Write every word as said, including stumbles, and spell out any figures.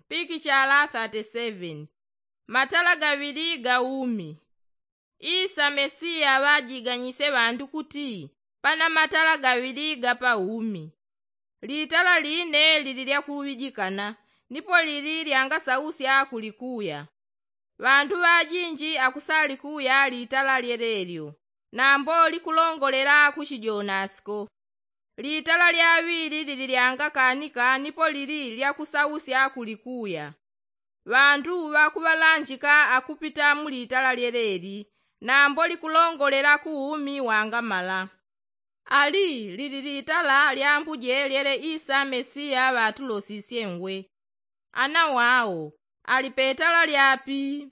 Pikichala thirty seven. Matala gaŵili ga umi. Isa mesiya ŵajiganyisye ŵandu kuti pana matala gaŵili ga pa umi. Litala line lili lyakuŵijikana, nipo lili lyangasausya kulikuya. Ŵandu ŵajinji akusalikuya litala lyelelyo, nambo likulongolela ku chijonasiko. Litala lyaŵili lili lyangakanika nipo lili lyakusausya kulikuya. Ŵandu ŵakuŵalanjika akupita mu litala lyeleli, nambo likulongolela ku umi wangamala. Ali lili litala lyambuje lyele isa mesiya ŵatulosisye ngwe, ana wao ali petala lyapi?